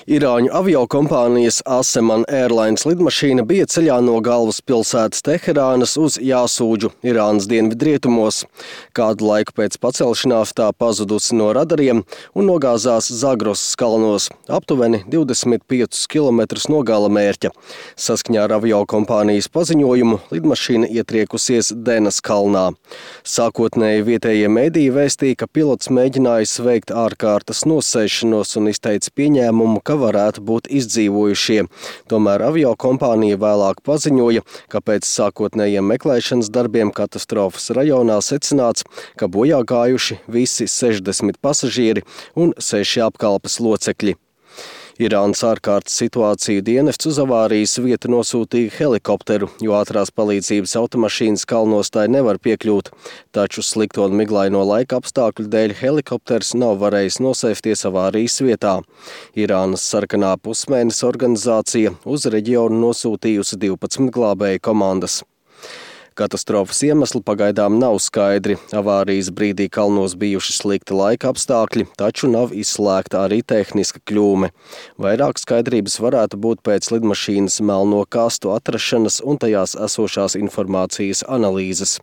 Irāņu aviokompānijas Aseman Airlines lidmašīna bija ceļā no galvaspilsētas Teherānas uz Jāsūģu, Irānas dienvidrietumos. Kādu laiku pēc pacelšanās tā pazudusi no radariem un nogāzās Zagrosas kalnos, aptuveni 25 km no gala mērķa. Saskaņā ar aviokompānijas paziņojumu lidmašīna ietriekusies Denas kalnā. Sākotnēji vietējie mediji vēstīja, ka pilots mēģinājis veikt ārkārtas nosēšanos un izteica pieņēmumu, ka varētu būt izdzīvojušie. Tomēr aviokompānija vēlāk paziņoja, ka pēc sākotnējiem meklēšanas darbiem katastrofas rajonā secināts, ka bojā gājuši visi 60 pasažieri un 6 apkalpes locekļi. Irānas ārkārtas situāciju dienests uz avārijas vietu nosūtīja helikopteru, jo ātrās palīdzības automašīnas kalnos tai nevar piekļūt. Taču slikto un miglaino laika apstākļu dēļ helikopters nav varējis nosēsties avārijas vietā. Irānas sarkanā pusmēneša organizācija uz reģionu nosūtījusi 12 glābēju komandas. Katastrofas iemesli pagaidām nav skaidri. Avārijas brīdī kalnos bijuši slikti laika apstākļi, taču nav izslēgta arī tehniska kļūme. Vairāk skaidrības varētu būt pēc lidmašīnas melno kastu atrašanas un tajās esošās informācijas analīzes.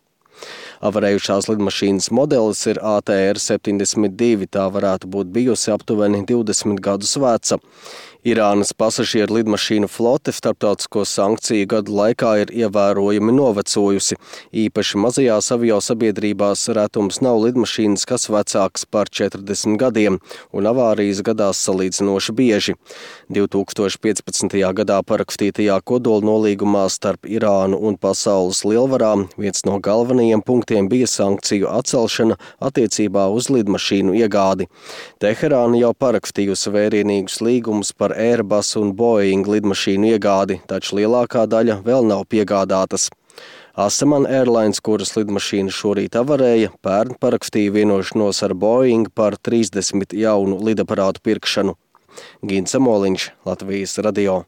Avarējušās lidmašīnas modelis ir ATR-72, tā varētu būt bijusi aptuveni 20 gadus veca. Irānas pasažieru lidmašīnu flote starptautisko sankciju gadu laikā ir ievērojami novecojusi. Īpaši mazajās aviosabiedrībās retums nav lidmašīnas, kas vecāks par 40 gadiem, un avārijas gadās salīdzinoši bieži. 2015. gadā parakstītajā kodolnolīgumā starp Irānu un pasaules lielvarām viens no galvenajiem punktiem bija sankciju atcelšana attiecībā uz lidmašīnu iegādi. Teherāna jau parakstījusi vērienīgus līgumus par Airbus un Boeing lidmašīnu iegādi, taču lielākā daļa vēl nav piegādātas. Aseman Airlines, kuras lidmašīna šorīt avarēja, pērn parakstīja vienošanos ar Boeing par 30 jaunu lidaparātu pirkšanu. Gins Amoliņš, Latvijas radio.